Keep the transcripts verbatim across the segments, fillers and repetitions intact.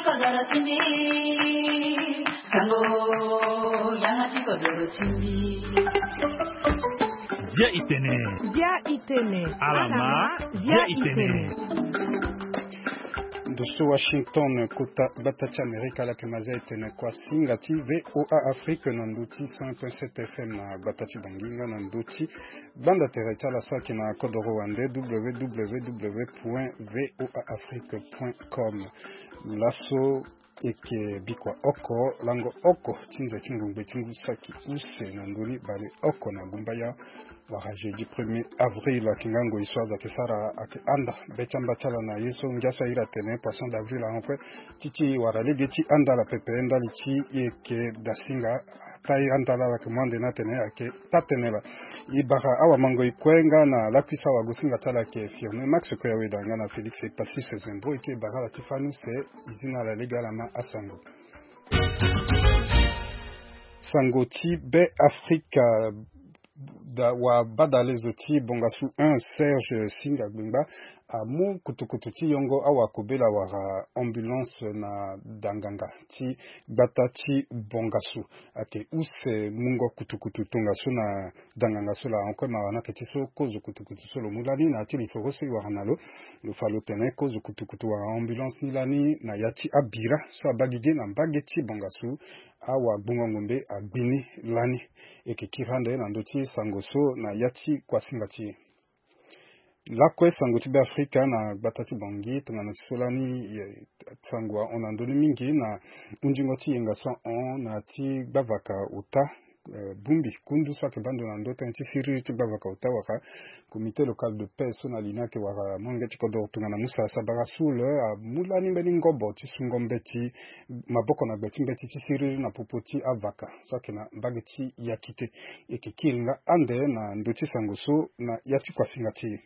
Kodoro ti mbi, sango, yanga ti kodoro ti mbi. Dia itene. Dia itene. Alama, dia itene. Ndo so Washington, kota gbata ti Amerika, ala yeke ma dia itene kua singa ti V O A Afrique na ndo ti cent point sept F M na gbata ti Bangui nga na ndo ti gbanda tere ti ala so ayeke na kodoro wande, W W W point V O A Afrique point com. Laso eke bikua oko, lango oko ti nze ti ngongbe ti ngu saki use na ndoni bale oko na gumbaya, wala jeudi premier avril, ayeke nga ngoi so azo ayeke sara, ayeke anda be ti amba ti ala na ye so ngia so ahiri atene poisson d'avril ahon kue. Ti ti wala lege ti anda ala pepe ndali ti e yeke dasinga, ata e anda laa ala yeke mu ande ni atene ayeke taa-tënë laa. E bara awamangoi kue nga na lakui so awagosinga ti ala ayeke Firmin Max Koyaweda nga na Félix Epassis Zembro, e yeke bara ala ti fani use, e zi na ala lege ala ma asango. Sango ti Be Afrika, da wa badalezo ti Bongasu un, Serge Singa Gbengba, amu kutukutu ti yongo awakobela wala ambulance na danganga ti gbata ti Bongasu. Ayeke use mungo kutukutu tongaso na danganga so laa. Ahon kue mawa ni ayeke ti so kozo kutukutu so lo mu lani na ya ti lisoro so e wara na lo. Lo fa lo tene kozo kutukutu wala ambulance ni lani na ya ti abira so abaa gigi na mbage ti Bongasu, awagbongo ngombe agbi ni lani. E yeke kiri ande na ndö ti sango so na ya ti kuasinga ti e. Lakue sango ti Be Afrika na gbata ti Bangui tongana ti so lani, eh, sango ahon na ndö ni mingi na hundingo ti yenga so ahon na ya ti gbavaka ota, eh, bongbi kundu so ayeke baa ndo na ndö tënë ti siriri ti gbavaka ota wala comité local de paix so na li ni ayeke wara molenge ti kodoro tongana Musa Sabara Soul, eh, amu lani mbeni ngobo ti sungo mbeti maboko na gbe ti mbeti ti siriri na popo ti avaka so ayeke na mbage ti Yakite. E yeke kiri nga ande na ndö ti sango so na ya ti kuasinga ti e.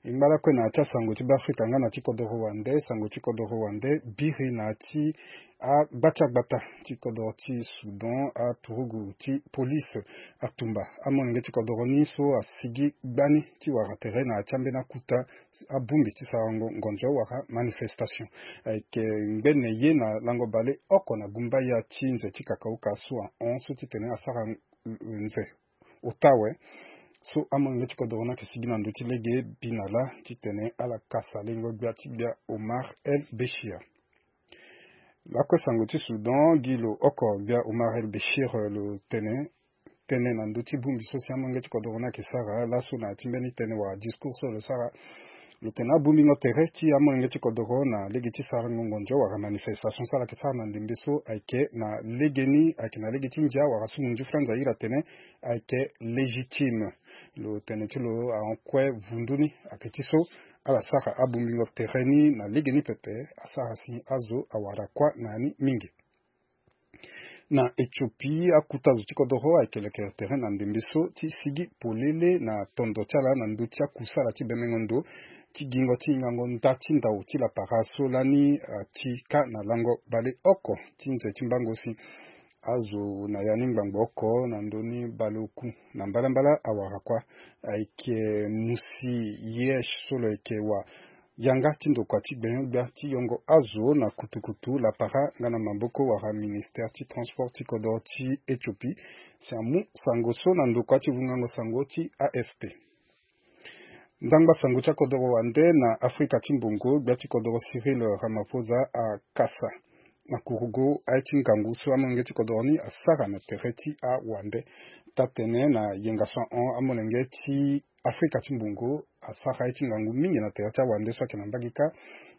E ngba lakue na ya ti asango ti Be Afrika nga na ti kodoro wande, sango ti kodoro wande biri na ya ti agba ti agbata ti kodoro ti Soudan, aturugu ti police atumba amolenge ti kodoro ni so asigi gbani ti wara tere na ya ti ambeni akuta abongbi ti sarango ngonzo wala manifestation. Ayeke ngbene ye na lango bale oko na gumbaya ti nze ti kakauka so ahon so titene asara nze ota awe. So amolenge ti kodoro ni ayeke sigi na ndö ti lege bi na lâ titene ala kasa lengo gbia ti gbia Omar El Béchir. Lakue sango ti Soudan gi lo oko gbia Omar El Béchir, eh, lo tene tënë na ndö ti bongbi so si amolenge ti kodoro ni ayeke sara laso na ya ti mbeni tënë wala discours so lo sara. Lo tene abongbingo tere ti amolenge ti kodoro na lege ti sarango ngonzo wala manifestation so ala yeke sara na ndembe so ayeke na legeni, ayeke na lege ti ndia wala sungo nzufra nza iri atene ayeke légitime. Lo tene ti lo ahon kue vundu ni ayeke ti so ala sara abongbingo tere ni na legeni pepe, asara si azo awara kuâ na ya ni mingi. Na Éthiopie, akuta zo ti kodoro ayeke lekere tere na ndembe so ti sigi polele na tondo ti ala na ndö ti akusala ti bemengo ndo ti gingo ti hingango nda ti ndau ti lapara so lani, ah, ti ka na lango baleoko ti nze ti mbango si azo na ya ni ngbangbo oko na ndö ni baleoku na mbalambala awara kuâ. Ayeke Musi Yesh so lo yeke wa yanga ti ndokua ti gbenyo-gbia ti yongo azo na kutukutu lapara nga na maboko wala ministère ti transport ti kodoro ti Éthiopie. Si amu sango so na ndokua ti vungango sango ti A F P. Ndangba sango ti akodoro wande na Afrika ti mbongo, gbia ti kodoro Cyril Ramaphosa akasa na kurugo aye ti ngangu so amolenge ti kodoro ni asara na tere ti awande. Taa-tënë na yenga so ahon, amolenge ti Afrika ti mbongo asara ye ti ngangu mingi na tere ti awande so ayeke na mbage kâ.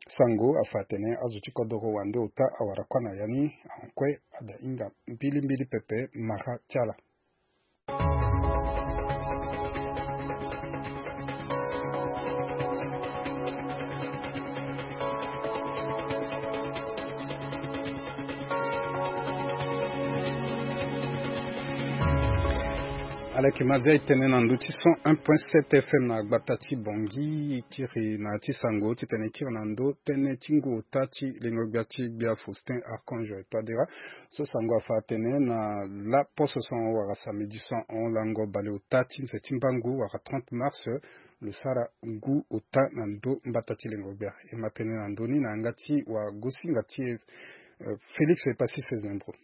Sango afa atene azo ti kodoro wande ota awara kuâ na ya ni, ahon kue ada hinga mbilimbili pepe mara ti ala. Aleke mazia e tene na ndö ti cent un point sept F M na gbata ti Bangui, e kiri na ya ti sango titene e kiri na ndö tënë ti ngu ota ti lengo-gbia ti gbia Faustin Archange Touadéra. So sango afa atene na laposo so ahon wala samedi so ahon lango baleota ti nze ti mbangu wala trente mars, lo sara ngu ota na ndö mbata ti lengo-gbia. E ma tene na ndö ni na yanga ti wagosinga ti e, eh, Félix Epassi Sezembro.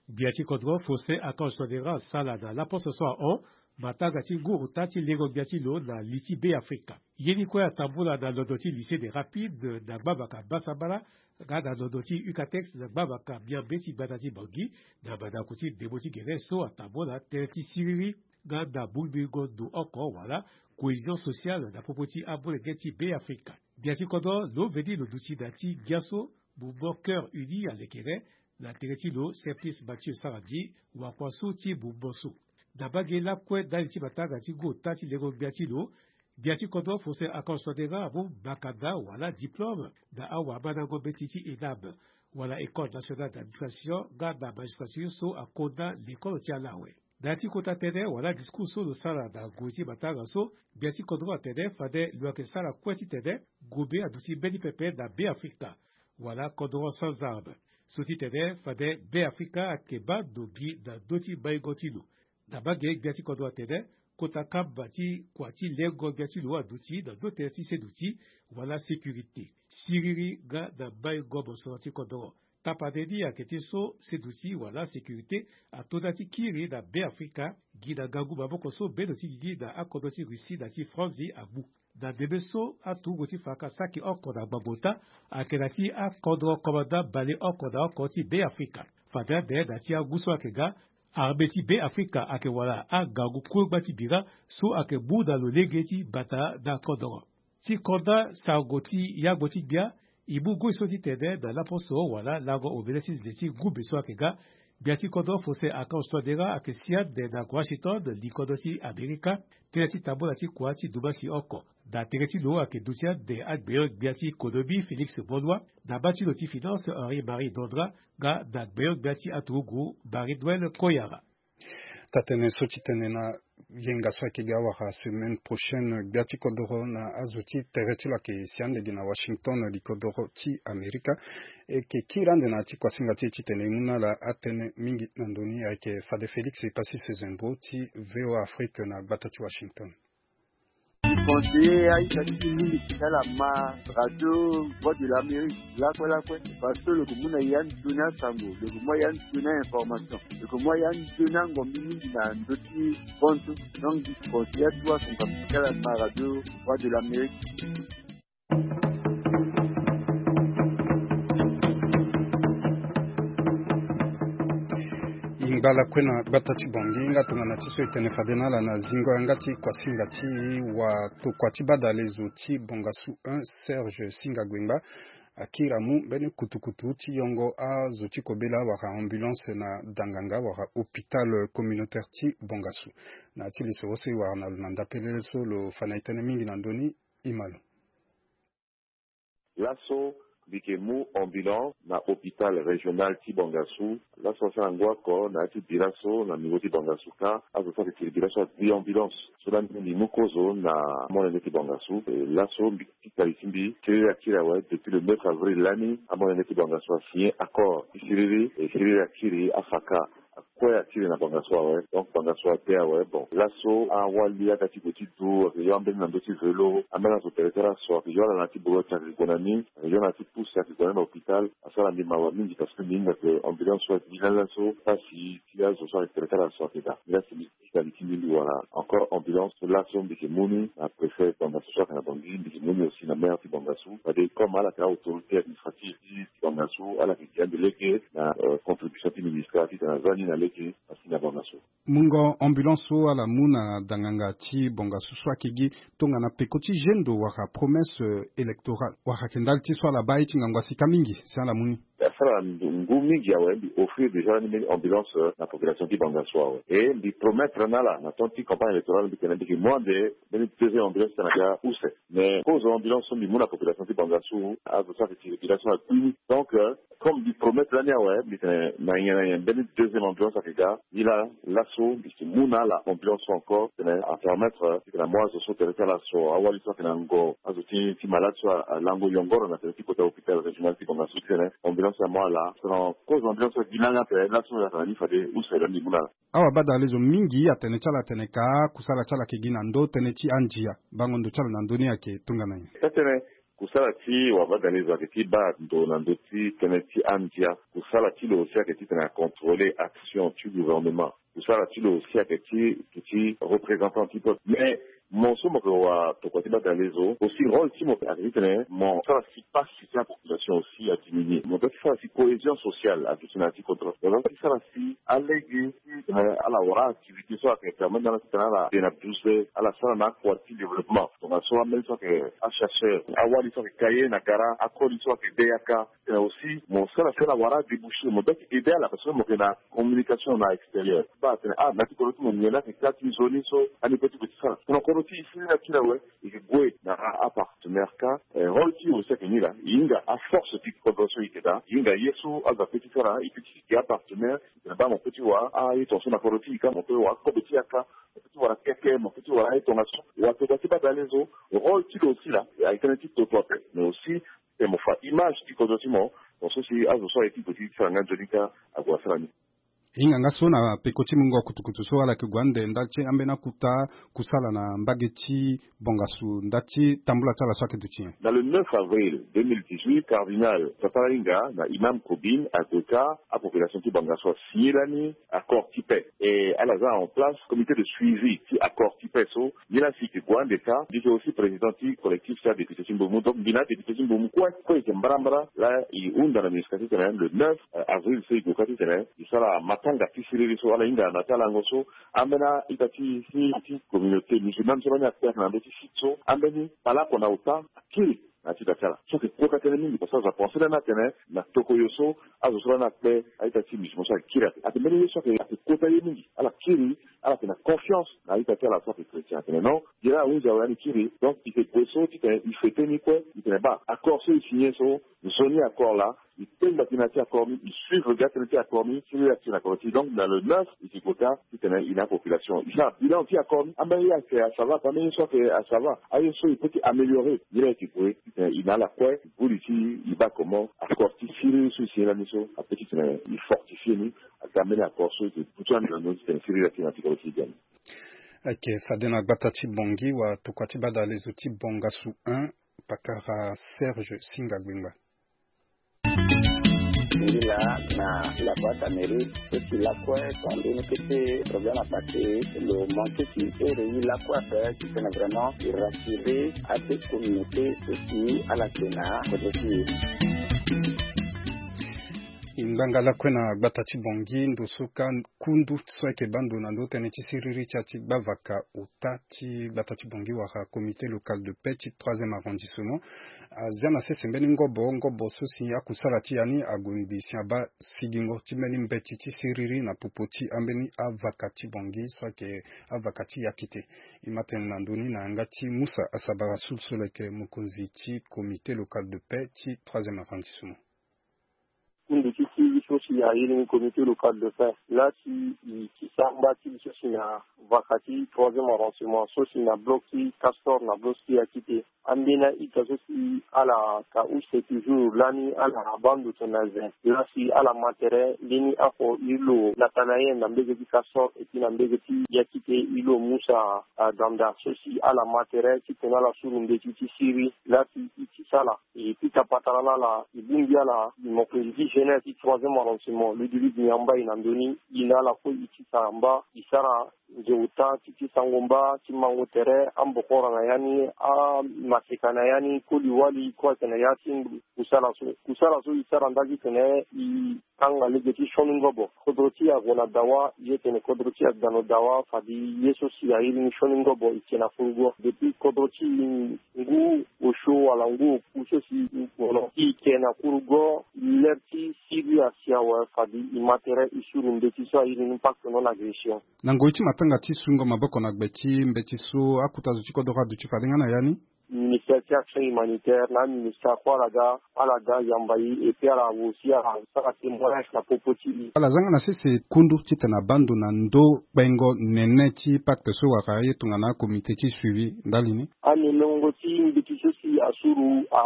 Gbia ti kodro Faustin Archange Touadéra asara na laposo so ahon matanga ti ngu ota ti lengo-gbia ti lo na li ti Beafrika. Ye ni kue atambula na londo ti Lycée des Rapides na gbavaka Basambala, nga na londo ti UCATEX na gbavaka Miambe ti gbata ti Bangui, na mandako ti ndembo ti gere so atambula tënë ti siriri nga na mungbingo ndo oko wala cohésion sociale na popo ti amolenge ti Beafrika. Gbia ti kodro lo veni lo duti na ya ti ngia so Mouvement Cœur Uni alekere, na tere ti lo Simplice Mathieu Sarandji, wakua so ti mouvement so. Na mbage lakue ndali ti matanga ti ngu ota ti lengo-gbia ti lo, gbia ti kodro Faustin Archange Touadéra amu makanda wala diplôme na awamandango mbeti ti ENAM wala École nationale d'administration nga na magistrature so akonda lekolo ti ala awe. Na ya ti kota tënë wala discours so lo sara na ngoi ti matanga so, gbia ti kodro atene fade lo yeke sara kue titene ngombe aduti mbeni pepe na Beafrika wala kodro sans armes. So ti tene fade Beafrika ayeke baa ndo gi na ndö ti maingo ti lo. Na mbage gbia ti kodro atene kota kamba ti kua ti lengo gbia ti lo aduti na ndö tënë ti seduti wala sécurité, siriri nga na maingo mosoro ti kodro. Tapande ni ayeke ti so seduti wala sécurité ato nda ti kiri na Beafrika gi na ngangu maboko so bendo ti gigi na akodro ti Russie na ti France ni amu. Na ndembe so aturugu ti faka saki oko na ngbangbo ota ayeke na ti akodro komanda baleoko na oko ti Beafrika. Fade ande na ti angu so ayeke nga armée ti Beafrika ayeke wara angangu kue gba ti bira so ayeke mu na lo lege ti bata na kodro. Ti konda sango ti yangbo ti gbia, e mu ngoi so ti tene na laposo wala lango omene ti nze ti ngumbe so ayeke nga, gbia ti kodro Faustin Archange Touadéra ayeke si ande na Washington, likodro ti Amerika, tënë ti tambula ti kua ti dumasi oko. Na tere ti lo ayeke duti ande agbenyo-gbia ti konomi Félix Moloua, na bâ ti lo ti finance Henri Marie Dondra, nga na gbenyo-gbia ti aturugu Marie Noëlle Koyara. Tatene so ti tene na yenga so ayeke ga wara semaine prochaine, gbia ti kodoro na azo ti tere ti lo ayeke si ande gi na Washington, likodoro ti Amerika. E yeke kiri ande na ya ti kuasinga ti e titene e mu na ala atënë mingi na ndö ni. Ayeke fade Félix Epassi Sezembro ti V O A Afrique na gbata ti Washington. Conseiller aita ti mingi ti ala ma radio Voix de l'Amérique lakue lakue, parce que lo yeke mu na ya nzoni asango, lo yeke mu ya nzoni a-information, lo yeke mu ya nzoni angombi mingi na ndö ti bonso. Donc conseiller atu asunga ti ala ma radio Voix de l'Amérique. E ngba lakue na gbata ti Bangui nga tongana ti so e tene fade na ala na zingo yanga ti kuasinga ti watokua ti badale zo ti Bongassou un, Serge Singa Guengba, akiri amu mbeni kutukutu ti yongo azo ti kobela wala ambulance na danganga wala hôpital communautaire ti Bongassou. Na ya ti lisoro so e wara na lo na ndapelele so lo fa na e tënë mingi na ndö ni, e ma lo. Laso mbi yeke mu ambulance na hôpital régional ti Bangassou. Laso asara ngu oko na ya ti bira so na nivo ti Bangassou kâ, azo so ayeke tiri bira so agbi ambulance. So lani mbi mu kozo na amolenge ti Bangassou. E, laso mbi, ti kali ti mbi, siriri akiri awe depuis le neuf avril lani, amolenge ti Bangassou asigné accord ti siriri, e siriri akiri afa kâ. Kue akiri na Bangassou awe. Donc Bangassou ade awe. Bon, laso awali aga ti gue ti du ayeke yo ambeni na ndö ti vélo, ambeni azo tere tere aso ayeke yo ala na ya ti boro ti ayeke gue na ni, ayeke yo na ya ti pousse ayeke gue na ni na hôpital. Asara mbi mawa mingi parce que mbi hinga ke ambulance so ayeke gi lani laso, pasi ti azo so ayeke tere tere aso ayeke daa. Nilaa si mbi ti kali ti mbi mbi wara encore ambulance so laso mbi yeke mu ni na préfet Bangassou so ayeke na Bangui, mbi yeke mu ni aussi na maire ti Bangassou. Fade comme ala yeke a-autorité administrative ti, ti Bangassou, ala yeke gi ande lege na, euh, contribution ti ministère titene aza ni na lege. Asi na Bangassou. Mungo ambulance so ala mu na danganga ti Bangassou so ayeke gi tongana peko ti gendo wala promesse, euh, électorale, wala ayeke ndali ti so ala baa ye ti ngangu asi kâ mingi si ala mu ni? Asara ngu mingi awe, mbi offrir déjà ni mbeni ambulance na population ti Bangassou awe. E mbi promettre na ala na temps ti campagne électorale mbi tene mbi yeke mu ande mbeni deuxième ambulance ti tene na ya use. Mais kozo ambulance so mbi mu na population ti Bangassou, azo so ayeke ti population akui ni. Donc, euh, comme mbi promettre lani awe, mbi tene na nyen na nyen mbeni deuxième ambulance ayeke ga. Ni laa laso mbi yeke mu na ala ambulance so encore tene apermettre titene amu azo so tene ti ala so awali so ayeke na ngo, azo ti ti malade so alango yongoro na tene ti kota hôpital régional ti Bangassou titene ambulance amu ala. Selon kozo ambulance so gi lani ape laso ayeke na ni fade use lani mbi mu na ala. Awabadalezo mingi atene ti ala atene ka kusala ti ala ayeke gi na ndö tënë ti andia. Bango ndo ti ala na ndö ni ayeke tongana nyen? Ka tene kusala ti wabadalezo ayeke ti baa ndo na ndö ti tënë ti andia. Kusala ti lo aussi ayeke titene acontrôler action ti gouvernement. Kusala ti lo aussi ayeke ti duti représentant ti peuple. Mais mo so mo yeke watokua ti badalezo aussi, rôle ti mo ayeke titene mo sara si pasi ti apopulation aussi adiminuer. Mo doit ti sara si cohésion sociale aduti na ya ti kodro. Mo doit ti sara si alege ti tene ala wara activité so ayeke permettre na ala titene ala de na duze, ala sara na akua ti développement. Tongaso ambeni so ayeke achercheur, awali so ayeke ka ye na gara, akoli so ayeke de yaka. Titene aussi mo sara si ala wara adébouché, mo doit ti aider ala parce que mo yeke na communication na extérieur. Baa tene ah na ti kodro ti mo nyen la ayeke ka ti nzoni so ani pe ti gue ti sara. Tongana kodro ti e si ni akiri awe, e yeke gue na apartenaire ka. Eh, rôle ti e aussi ayeke ni laa, e hinga aforce ti kodro so e yeke daa, e hinga ye so azo ape ti sara, e pe ti gi apartenaire. Titene baa mo pe ti wara aye tongaso na kodro ti e ka, mo pe wara kobe ti yaka, mo pe ti wara keke, mo pe ti wara aye tongaso. Watokua ti badalezo, rôle ti lo aussi laa, ayeke tënë ti toto ape mais aussi titene mo fa image ti kodro ti mo. Mo so si azo so aye ti gue ti sara nga nzoni ka ague asara ni. E hinga nga so na peko ti mungo kutukutu so ala yeke gue ande ndali ti ambeni akuta kusala na mbage ti Bangassou ndali ti tambula ti ala so ayeke duti nyen? Na le neuf avril deux mille dix-huit, cardinal Papa Inga na imam Kobin ague ka, apopulation ti Bangassou asigné lani accord ti paix. E ala za en place comité de suivi ti accord ti paix so. Nyen la si e yeke gue ande ka, mbi yeke aussi président ti collectif ti adéputé ti Mbomou. Donc mbi na adéputé ti Mbomou kue kue e yeke mbarambara. La e hunda na MINUSCA titene le neuf, euh, avril so e gue ka titene e sara matanga ti siriri so ala hinga na ya ti alango so. Ambeni a-ita ti, ti, ti communauté musulmane so lani akpe ayeke na ndö ti site so. Ambeni palako na ota akiri na ya ti da ti ala. So ayeke kota tënë mingi parce que azo apense lani atene na tokoyo so azo so lani akpe a-ita ti musulman so ayeke kiri ate. Ate mbeni ye so ayeke, ayeke kota ye mingi. Ala kiri, ala yeke na confiance na a-ita ti ala so ayeke chrétien. Atene non, ye laa ahunzi awe ani kiri. Donc e yeke gue so titene e fete ni kue. E tene baa accord so e signé so, nzoni accord laa, e tengba gi na ya ti accord ni, e suivre gi atënë ti accord ni ti le ya ti na kodro ti e. Donc na le neuf e yeke gue ka titene e na apopulation e sara bilan ti accord ni. Ambeni ye ayeke asava, ambeni ye so ayeke asava, aye so e peut ti améliorer. Ye laa e yeke gue titene e na ala kue e buli ti e baa comment accord ti siriri so e signé lani so apeut titene e fortifier ni. Aga mbeni accord so e yeke butu ande na ndö titene siriri akiri na ti kodro ti e biani. Ayeke fade na gbata ti Bangui watokua ti badalezo ti Bangassou un, pakara Serge Singa Gbengba. Ngi laa na la boîte à mairie, so si lakue tonga mbeni kete problème apassé, lo manqué ti ere ye lakue ape titene vraiment e rassurer ade communauté so si ala yeke na kodro ti e. E ngbanga lakue na gbata ti Bangui ndo so ka kundu so ayeke baa ndo na ndö tënë ti siriri ti ya ti gbavaka ota ti gbata ti Bangui wala comité local de paix ti troisième arrondissement azia na sese mbeni ngobo, ngobo so si akusala ti ya ni ague mbi si abaa sigingo ti mbeni mbeti ti siriri na popo ti ambeni avaka ti Bangui so ayeke avaka ti Yakité. E ma tene na ndö ni na yanga ti Moussa Asabara Soul so lo yeke mokonzi ti comité local de paix ti troisième arrondissement. Kundu ti siriri so si aye ni comité local de paix laa si e ti sara mba ti e so si na vaka ti troisième arrondissement so si na bloc ti Castor na bloc ti Yakité. Ambeni a-ita so si ala ka use toujours lani ala baa ndo tene na zen laa si ala ma tere mbeni oko e lo Nathanaël na mbege ti Castor et puis na mbege ti Yakité e lo Moussa, ah, Danda so si ala ma tere titene ala suru mbeti ti siriri laa si e ti sala. E pika patara na ala, e bongbi ala, e mo yeke dix jeunes ti troisième arrondissement, Ludovic Niamba e na ndö ni, e na ala kue e ti sara mba, e sara nze ota ti, ti sango mba, ti mango tere, ambokora na ya ni, amaseka na ya ni, koli wali kue ayeke na ya ti kusala so. Kusala so e sara nda ti tene e Tanga lege ti sioni ngobo. Kodro ti e ague na dawa, ye tene kodro ti e agba na dawa, fade ye so si airi ni sioni ngobo e ke na furugo. Depuis kodro ti e ngu osio wala ngu oku so si e gue na ti e ke na furugo, ler ti siri asi awe, fade e ma tere e suru mbeti so airi ni pacte non-agression. Na ngoi ti matanga ti sungo maboko na gbe ti mbeti so, akota zo ti kodro aduti fade nga na ya ni. Ministère ti action humanitaire na aministère kue ala ga, ala ga yamba e, et puis ala aussi ala sara témoignage na popo ti e. Ala zanga na sese kundu titene abaa ndo na ndo kpengo nene ti pacte so wala ye tongana comité ti suivi ndali ni. Anenengo ti mbeti so si asuru, a,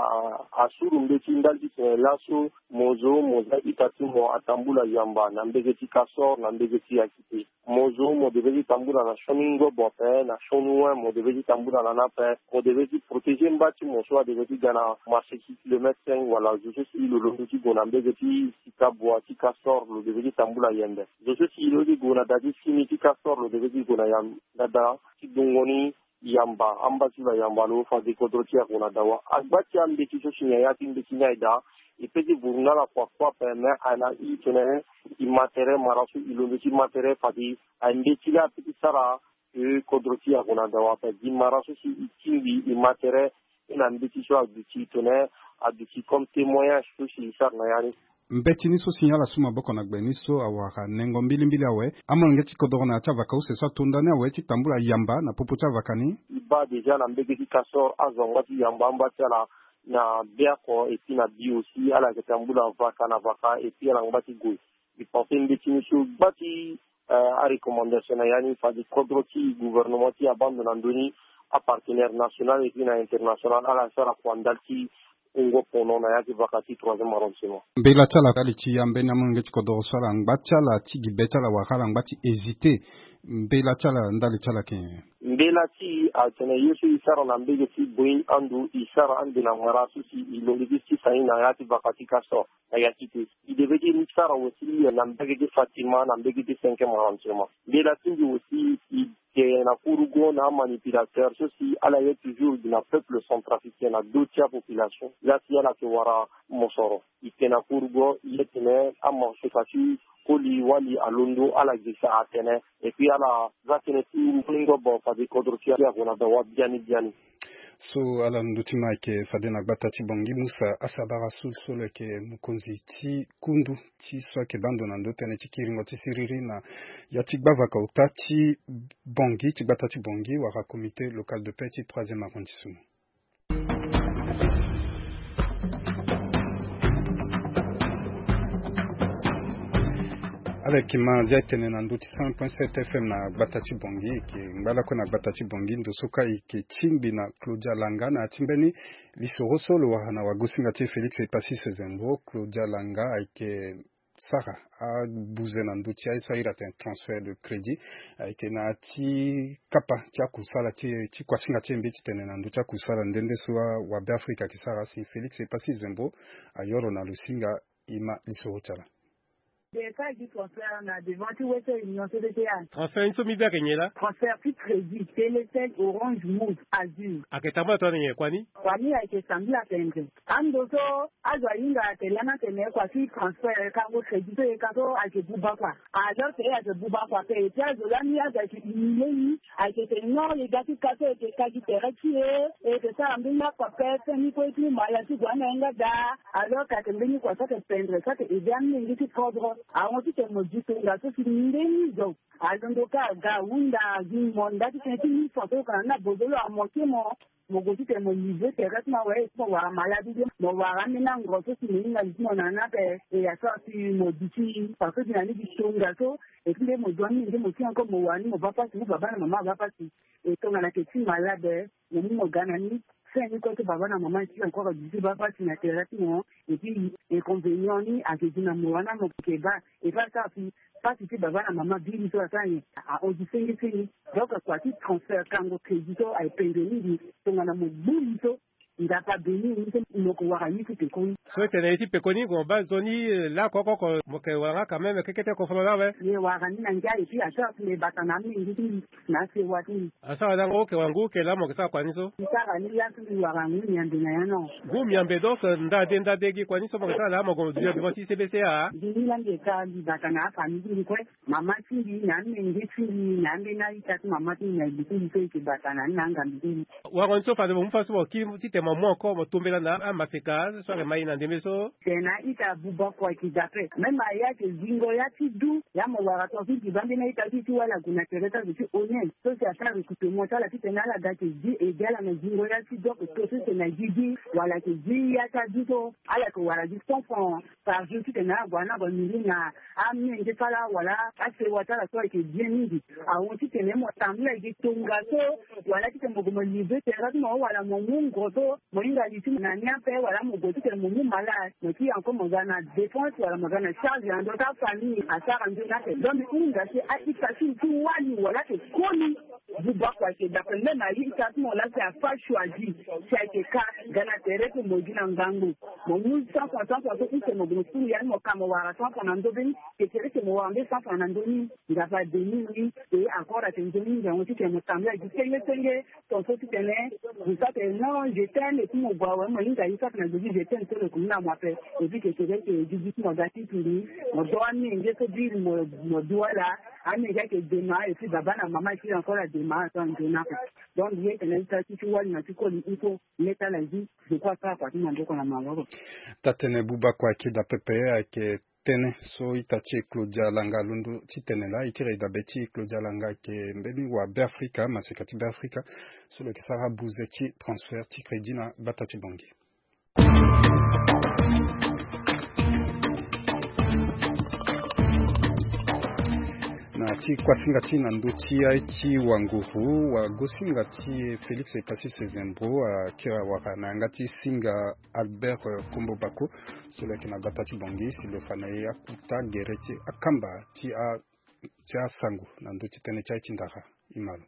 asuru mbeti ndali titene laso mo zo mo za ita ti mo atambula yamba na mbege ti Castor, na mbege ti Yakite. Mo zo mo devait ti tambula na sioni ngobo ape, na sioni wen mo devait ti tambula na ni ape. Mo devait ti protéger mba ti mo so adevait ti ga na marché ti kilomètre cinq wala zo so si lo londo ti gue na mbege ti Sika Bois ti Castor, lo devait ti tambula yende. Zo so si lo ye ti gue na da ti fini ti Castor, lo devait ti gue na yam, na da ti dongo ni yamba, amba ti lo ayamba lo, fade kodro ti e ague na dawa. Agba ti ambeti so si nyen ya ti mbeti ni aye daa, e pe ti vuru na ala kua kua ape, me ala i tene e ma tere, mara so e londo ti ma tere, fade ambeti laa ape ti sara, e, kodro ti e ague na dawa ape. Gi mara so si e tingbi e ma tere, e na mbeti so aduti tene, aduti comme témoignage so si e sara na ya ni. Mbeti ni so si nyen ala su maboko na gbe ni so awara nengo mbilimbili awe, amolenge ti kodoro na ya ti avaka use so ato ndani awe ti tambula yamba na popo ti avaka ni. E baa déjà na mbege ti Castor azo angba ti yamba amba ti ala na Biako et puis na Bio aussi, ala yeke tambula vaka na vaka et puis ala ngba ti gue. E pense mbeti ni so gba ti, euh, arecommandation na ya ni, fade kodro ti gouvernement ti e abaa ndo na ndö ni, apartenaire national et puis na international, ala sara kua ndali ti wungo pono na ya ti vaka ti troisième arrondissement. Mbela ti ala, ndali ti ambeni amolenge ti kodoro so ala ngba ti ala ti gi be ti ala wala ala ngba ti hésiter? Mbela ti ala, ndali ti ala ken? Mbela ti e atene ye so e sara na mbege ti Boeing ando, e sara ande na mara so si e londo ti sisa ni na ya ti vaka ti Castor na ya ti te. E devait ti sara aussi na mbege ti Fatima, na mbege ti cinquième arrondissement. Mbela ti mbi aussi, e ke na kurugo na amanipulateur so si ala ye toujours gi na peuple centrafricain na do ti apopulation. Laa si ala ke wara mosoro, e ke na kurugo, e ye tene amorso fa ti koli wali alondo, ala gesa atene. Et puis ala za tënë ti mbeni ngobo fade kodro ti e ague na dawa biani biani. So ala ndö ti ma ayeke fade na gbata ti Bangui, Moussa Asabara Soul so lo yeke mokonzi ti kundu ti so ayeke baa ndo na ndö tënë ti kiringo ti siriri na ya ti gbavaka ota ti Bangui, ti gbata ti Bangui wala comité local de paix ti troisième arrondissement. Ala yeke ma zia tene na ndö ti cent point sept F M na gbata ti Bangui, e yeke ngba lakue na gbata ti Bangui, ndo so kâ e yeke tingbi na Claudia Langa na ya ti mbeni lisoro so lo wara na wagosinga ti e Félix Epassis Zembo. Claudia Langa ayeke sara abuze na ndö ti aye so ahiri atene transfert de crédit, ayeke na ya ti kapa ti akusala ti e, ti kuasinga ti e mbi titene na ndö ti akusala nde nde so awabe Afrika ayeke sara. Si Félix Epassis Zembo ayoro na lo singa, e ma lisoro ti ala. Transfert ni so mbi be ayeke nyen laa? Transfert ti crédit, Télécel, Orange, Moov, Azur. Ayeke tambula tongana nyen, kua ni? Kua ni ayeke tambula tendre. Ando so azo ahinga atene lani atene kua ti transfert kango crédit so e ka so ayeke buba kua. Alors que e ayeke buba kua ape, e ti azo lani azo ayeke humilier e, ayeke tene non, e ga ti ka so e yeke ka gi tere ti e, e yeke sara mbeni akua ape, feni kue ti mala ti gue ande na yanga daa. Alors que ayeke mbeni kua so ayeke pendre, so ayeke aider amolenge ti kodro. Ahon titene mo zi tongaso si mbeni zo alondo kâ aga ahunda, azi mo nda titene ti mille francs so e yeke na ni na bozo lo amoke mo. Mo gue titene mo livrer tere ti mo awe, mo wara malade, mo wara ambeni angoro so si mo hinga li ti mo na ni ape. E ya so asi mo duti parce que na ni gi tongaso. Et puis nde mo zo ni nde mo si encore mo wara ni mo baa pasi, mo baba na mama abaa pasi. E tongana ayeke ti malade, mo mu mo ga na ni. Fin ni kue ti baba na mama ti encore duti baa pasi na tere ti mo. Et puis inconvénient ni ayeke gi na mo wani mo ke baa. Et puis asara si pasi ti baba na mama biri so asara nyen? Ahon gi senge senge. Donc kua ti transfert kango crédit so aye pendre mingi. Tongana mo gbu li so, Nzapa beni ni so mo yeke wara ni ti pekoni. So e tene ye ti pekoni mo baa nzoni lakoko oko mo yeke wara nga quand même kekete kofolo ni awe. Ye wara ni na ngia eti asara ti me bata na amenge ti mbi na asewa ti mbi. Asara lango oke wara ngu oke laa mo yeke sara kua ni so. Ti sara ni laa so mbi wara ngu miambe na ya no. Ngu miambe donc ndade ndade gi kua ni so mo yeke sara laa mo gue mo dunia devant ti C B C A. Mbi ni laa mbi yeke sara mbi bata na afamille ti mbi kue. Mama ti mbi na amenge ti mbi na ambeni a-ita ti mama ti mbi na ebe ti mbi so e yeke bata na ni na angambi ti mbi. Wango ni so fade mo mu fa so mo kiri titene mo mu encore mo tombela na amaseka so ayeke ma e na ndembe so. Tene a-ita buba kua e yeke dape même a ya ayeke zingo ya ti du ya mo wara tonga ti mbi baa ambeni a-ita ti mbi ti wali ague na tere ti azo ti honnête so si asara recrutement ti ala titene ala ga ayeke zi ede ala na zingo ya ti du oko to so si tene na gigi wala ayeke zi ya ti adu so ala yeke wara gi cent francs par jour titene ala gue na ala gue na miri na amenge ti ala wala asewa ti ala so ayeke bien mingi. Ahon titene mo tambula gi tongaso wala titene mo gue mo livre terrain ti mo wala mo mu ngo so mo hinga li ti mo na ni ape wala mo gue titene mo mu malade mo ti encore mo ga na dépense wala mo ga na charge na ndö ti afamille asara nzoni ape. Donc mbi hunda si a-ita ti mbi ti wali wala ayeke koli. Buba kua ayeke dape même a-ita ti mo laa si afa choisi si ayeke ka ga na tere ti mo gi na ngangu. Mo mu cent francs cent francs so use mo gue mo suru ya ni mo ka mo wara cent francs na ndö be ni. Ke tere ti mo wara nde cent francs na ndö ni. Nzapa abeni ni. E encore ayeke nzoni ngangu titene mo tambula gi senge senge. Ton so titene mo sara tene non je t'aime et puis mo gue awe mo hinga ye sara tene na zo ti je t'aime so lo yeke mu na mo ape. Et puis ke tere ti gi gi ti mo ga ti tumbi mo do amenge so biri mo mo du ala. Amenge ayeke dema et puis baba na mama et puis encore adema ato anzoni ape. Donc mbi ye tene a-ita ti ti wali na ti koli il faut. Leta la vie. Je crois sara kua ti maboko na maboko. Taa-tënë buba kua ayeke daa pepe ayeke tënë so ita ti e Claudia Langa alondo ti tene laa. E kiri e dabe ti e Claudia Langa ayeke mbeni wa Beafrika maseka ti Beafrika so lo yeke sara buze ti transfert ti crédit na gbata ti Bangui. Na ti kuasinga ti na ndö ti aye ti wanguru wagosinga ti Félix Cassius Zembro akiri awara na yanga ti singa Albert Kombo Bako so lo yeke na gbata ti Bangui si lo fa na e akuta gere ti akamba ti a ti asango na ndö ti tënë ti aye ti ndara. E ma lo.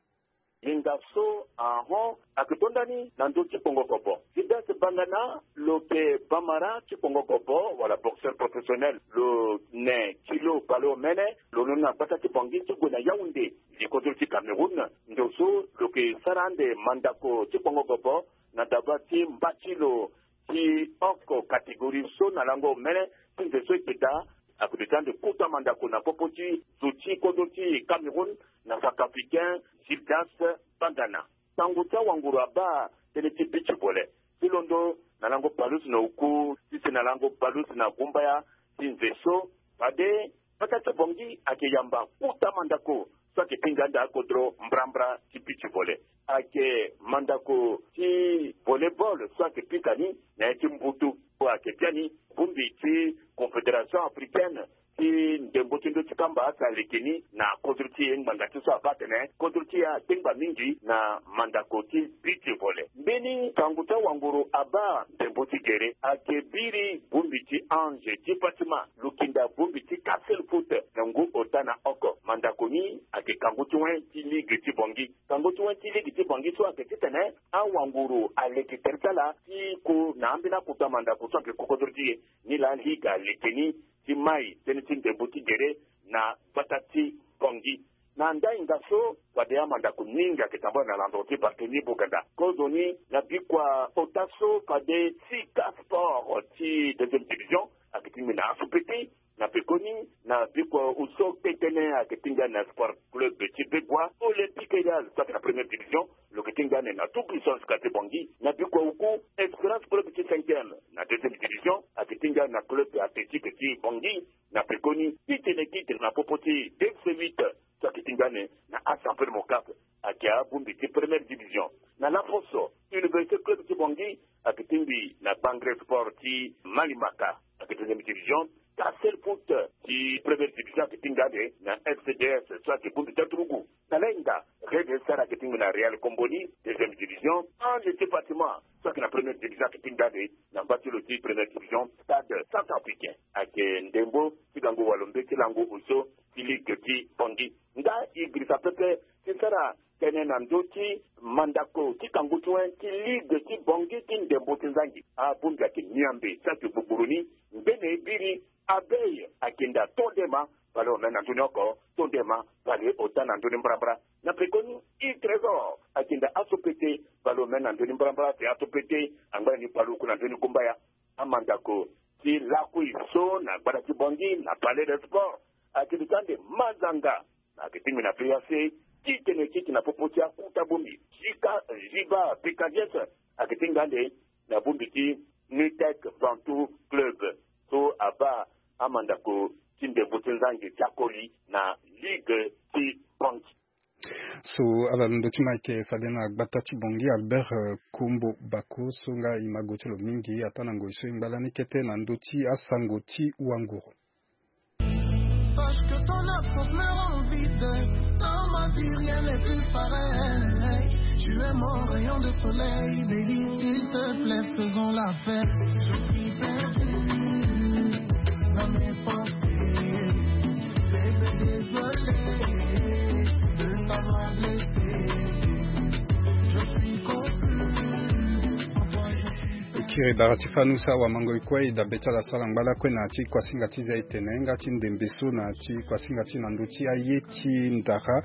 Hinga so ahon ayeke to ndani na ndö ti kpongo kobo. Gildas Bangana lo yeke bamara ti kpongo kobo wala boxeur professionnel. Lo ne kilo baleomene. Lo londo na gbata ti Bangui ti gue na Yaoundé. Li kodro ti Cameroun ndo so lo yeke sara ande mandako ti kpongo kobo na daba ti mba ti lo ti oko catégorie so na lango omene ti nze so e yeke daa. Ayeke duti ande kota mandako na popo ti zo ti kodro ti Cameroun na Centrafricain Gildas Bangana. Sango ti awanguru abaa tënë ti beach volley ti londo na lango palus na oku ti si na lango palus na gumbaya ti nze so. Fade gbata ti Bangui ayeke yamba kota mandako so ayeke ti ngia ande akodro mbrambra ti beach volley. Ayeke mandako ti volleyball so ayeke pika ni na ya ti mbutu. Ayeke biani bongbi ti Confédération africaine ti ndembo ti ndö ti kamba asa leke ni na kodro ti e ngbanga ti so abaa atene kodro ti e atengba mingi na mandako ti beach volley. Mbeni sango ti awanguru abaa ndembo ti gere ayeke biri bongbi ti Ange ti Fatima lukinda bongbi ti Castle Foot na ngu ota na oko. Mandako ni ayeke kangu ti wen ti ligue ti Bangui. Kangu ti wen ti ligue ti Bangui so ayeke titene awanguru aleke tere ti ala ti ko na ambeni akota mandako so ayeke ko kodro ti e. Nilaa ligue aleke ni ti mai tënë ti ndembo ti gere na gbata ti Bangui. Na ndai nga so wade amandako mingi ayeke tambula na landro ti Barthélemy Boganda. Kozoni na bikua ota so fade Sika Sport ti deuxième division ayeke ti mbi na asu pete. Na pekoni na bikua oso kpetene ayeke ti ngia na Sport Club ti Begua, Olympique Étoile so ayeke na première division lo yeke ti ngia ande na tout puissance ka ti Bangui. Na bikua oku Espérance Club ti cinquième na deuxième division ayeke ti ngia na club athlétique ti Bangui. Na pekoni titene titre na popo ti D C huit so ayeke ti ngia ande na Assemblée Mocap ayeke abongbi ti première division. Na laposo Université Club ti Bangui ayeke ti mbi na Bangré Sport ti Malimaka ayeke deuxième division. Castle Foot ti première division ayeke ti ngia ande na F C D S so ayeke bongbi ti aturugu. Na lahinga Red Star ayeke ti mbi na Real Komboni deuxième division. Ange ti Fatima so ayeke na première division ayeke ti ngia ande na mba ti lo ti première division. Stade Centrafricain ayeke ndembo ti gango walo mbeti lango oso ti ligue ti Bangui. Nga e girisa pepe ti sara tënë na ndö ti mandako ti kangu ti wen ti ligue ti Bangui ti ndembo ti nzangi. Abongbi ayeke miambe ti ake gbugburu ni, ngbene e biri Abel Akenda, to nde ma, bale omene na ndö ni oko, to nde ma, bale ota na ndö ni mbrambra. Na pekoni, Il Trésor Akenda, aso pete, bale omene na ndö ni mbrambra, si aso pete angba na ni paluku na ndö ni kumbaya. Amandako ti lakui so na gbata ti Bangui na Palais de Sport ayeke duti ande mazanga. Na yeke ti ngbi na P A C, titene ti yeke na popo ti akota bongbi, Jika Jiba Pekadies ayeke ti hinga ande na bongbi ti Nutec Bantu Club so abaa amandako ti ndembo ti nzangi ti akoli na ligue ti Bangui. So ala londo ti ma ayeke fade na gbata ti Bangui, Albert, eh, Kombo Bako, so nga e ma gue ti lo mingi ataa na ngoi so e ngba lani kete na ndö ti asango ti wanguru. Sache que ton œuf me rend vide. Dans ma vie, rien n'est plus pareil. Tu es mon rayon de soleil, baby, s'il te plaît, faisons la fête. Je suis perdu dans mes pensées. Bébé, désolé de t'avoir blessé. Je suis confus. Sans toi, je suis E kiri bara ti fanu sa wa mango e kue e dabe ti ala so ala ngba lakue na ti kuasinga ti za e tene nga ti ndembe so na ti kuasinga ti na ndö ti aye ti ndara.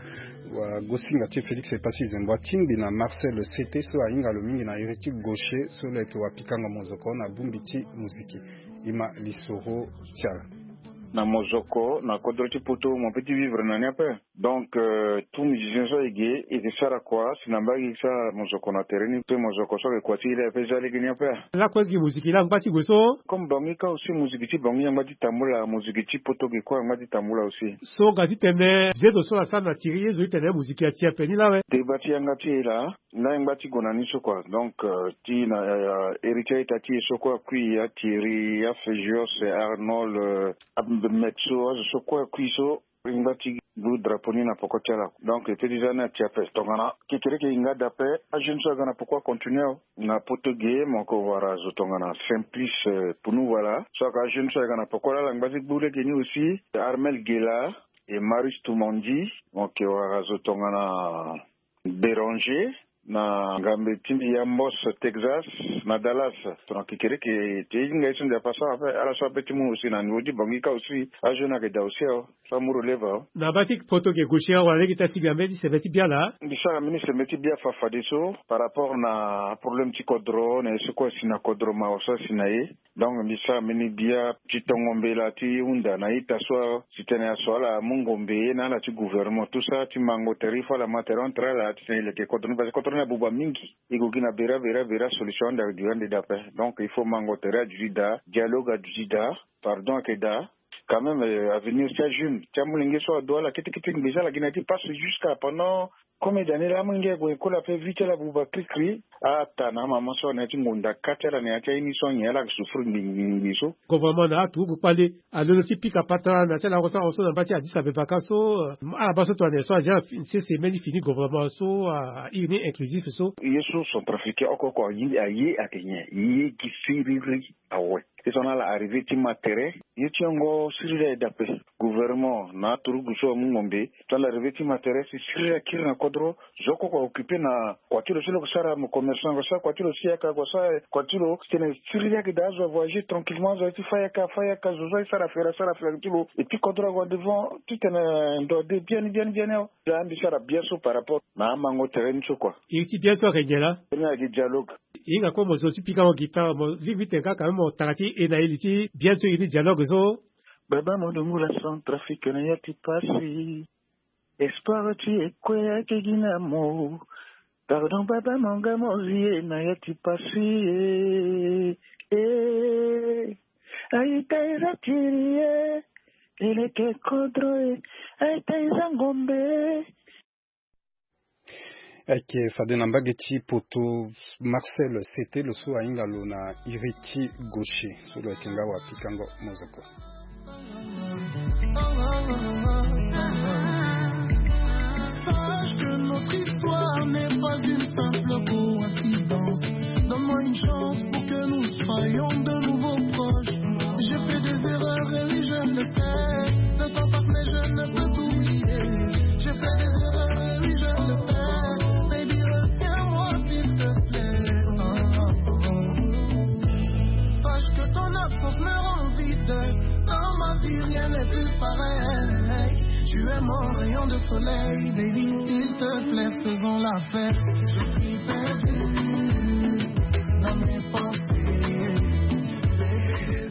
Wa gosinga ti Félix Epassi Zembo atingbi na Marcel Sete so ahinga lo mingi na iri ti gaucher so lo yeke wa pikango mozoko na bongbi ti moziki. E ma lisoro ti ala. Na mozoko na kodro ti poto mo pe ti vivre na ni ape. Donc, euh, tout musicien so ayeke ge, e yeke sara kua si na mbage e sara mozoko na tere ni, pe mozoko so ayeke kua ti e laa e pe za lege ni ape. Lakue gi moziki laa angba ti gue so. Comme Bangui kâ aussi, moziki ti Bangui angba ti tambula, moziki ti poto ge kue angba ti tambula aussi. So ga ti tene zezo so asara na tiri ye zo ti tene moziki ati ape ni laa awe. Deba ti yanga ti e laa, laa e ngba ti gue na ni so kua. Donc, euh, ti na, euh, héritier ita ti e so kue akui, atiri, afegios, arnold, euh, ametso, azo so kue akui so. E ngba ti gbu drapeau ni na poko ti ala. Donc e peut ti za ni ati ape. Tongana kekereke e hinga daa ape, ajeune so aga na poko acontinuer awe. Na poto ge mo yeke wara zo tongana Simplice, euh, Punu, voilà. So aga ajeune so aga na poko laa ala ngba ti gbu lege ni aussi. Armel Gela et Marius Tumandi, mo yeke wara zo tongana Béranger, na ngambe ti mbi ya Mbos, Texas, na Dallas. Tongana kekereke ti hinga ye so ndia pasa ape, ala so ape ti mu aussi na niveau ti Bangui kâ aussi, ajeune ayeke daa aussi awe. So amu relève awe. Na baa ti poto ge gaucher awe, wala lege ti asi ga mbeni sembe ti bia laa? Mbi sara mbeni sembe ti bia fa fadeso par rapport na problème ti kodro, na ye so kue asi na kodro, mawa so asi na ye. Donc mbi sara mbeni bia ti tongo mbela ti hunda na ita so, si tene aso ala mu ngombe na ala ti gouvernement, tout ça, ti mango tere, il faut ala ma tere entre ala, titene e leke kodro ni, parce que kodro ni abuba mingi. E gue gi na bera bera bera, solution ande ayeke duti ande daa ape. Donc il faut mango tere aduti daa, dialogue aduti daa, pardon ayeke daa. Quand même, euh, avenir ti ajeune ti amolenge so ado ala kete kete ngbe ti ala gi na ya ti passe jusqu'à pendant combien d'années laa? Amolenge ague école ape, vie ti ala abuba krikri. Ata na amama so na ya ti ngonda ka ti ala, na ya ti aye ni so anyen ala yeke souffrir ngbi ngbi ngbi so. Gouvernement na aturugu kpale alondo ti pika patara na ti ala oko so, oko so na mba ti Addis Abeba kâ so, euh, ala baa so tongana nyen so aza na fi-, sese mbeni fini gouvernement so, a, a iri ni inclusif so. Ye so centrafricain oko oko aye, aye ayeke nyen? Ye gi siriri awe. Ye so na ala arrivé ti ma tere, ye ti yongo siriri aye daa ape. Gouvernement na aturugu so amu ngombe, tongana ala arrivé ti ma tere, si siriri akiri na kodro, zo oko oko aoccupé na kua ti lo so lo yeke sara, mo commerçant, gue sara kua ti lo si yaka, gue sara kua ti lo, titene siriri ayeke daa, azo avoyager tranquillement, azo aye ti fâ yaka, afâ yaka, zo so aye sara fere, asara fere ti lo. Et puis kodro ague en devant, titene ndo ade biani biani biani awe. Laa mbi sara bia so par rapport na amango tere ni so kua. Iri ti bia so ayeke nyen laa? Ni ayeke dialogue. E hinga kue mo zo ti pikango guitare, mo lingbi ti tene kâ quand même mo tara ti e na e li ti bia ni so, e ni dialogue so. Baba mo dungula Centrafrique na ya ti pasi. Espoir ti e kue ayeke gi na mo. Pardon baba mo nga mo zi e na ya ti pasi, eh, eh. Aita eza tiri, eh. E leke kodro, eh. Aita eza ngombe, eh. Ayeke fade na mbage ti poto, Marcel Sete, lo so ahinga lo na iri ti gaucher, so lo yeke nga wa pikango mozoko. Sache que notre histoire n'est pas une simple coïncidence. Donne-moi une chance pour que nous soyons de nouveau proches. J'ai fait des erreurs et oui, je le sais. Ne t'en fais pas, mais je ne peux t'oublier. J'ai fait des erreurs et oui, je Si rien n'est plus pareil, tu es mon rayon de soleil, baby, s'il te plaît, faisons la fête. Je suis perdu dans mes pensées.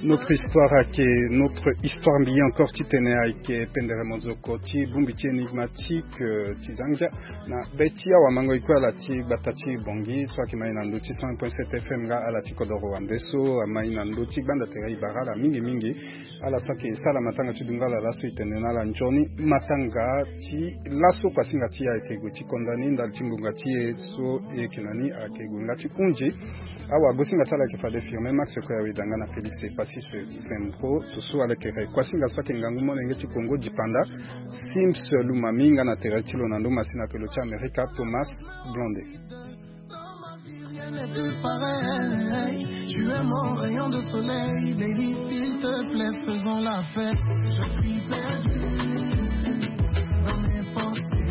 Notre histoire ake, notre histoire mbi encore ti tene ayeke pendere mozoko ti bongbi ti énigmatique, euh, ti zangia na be ti awamango e kue ala ti gbata ti Bangui so ayeke mai na ndö ti cent point sept F M nga ala ti kodoro wande so amai na ndö ti gbanda tere e bara ala mingi mingi. Ala so ayeke sara matanga ti dungala laso e tene na ala nzoni matanga ti laso kuasinga ti e ayeke gue ti konda ni ndali ti ngonga ti e so e yeke na ni ayeke gue nga ti hunzi. Awagosinga ti ala ayeke fade Firmin Max, kue awe danga na Félix Epassis Sempro, so so ala yeke re kuasinga so ayeke ngangu molenge ti Congo dipanda, Sims Lumami nga na tere ti lo na ndö masina ake lo ti Amerika, Thomas Blonde. Dans ma vie, rien n'est plus pareil. Tu es mon rayon de soleil, baby, s'il te plaît, faisons la fête. Je suis perdu dans mes pensées.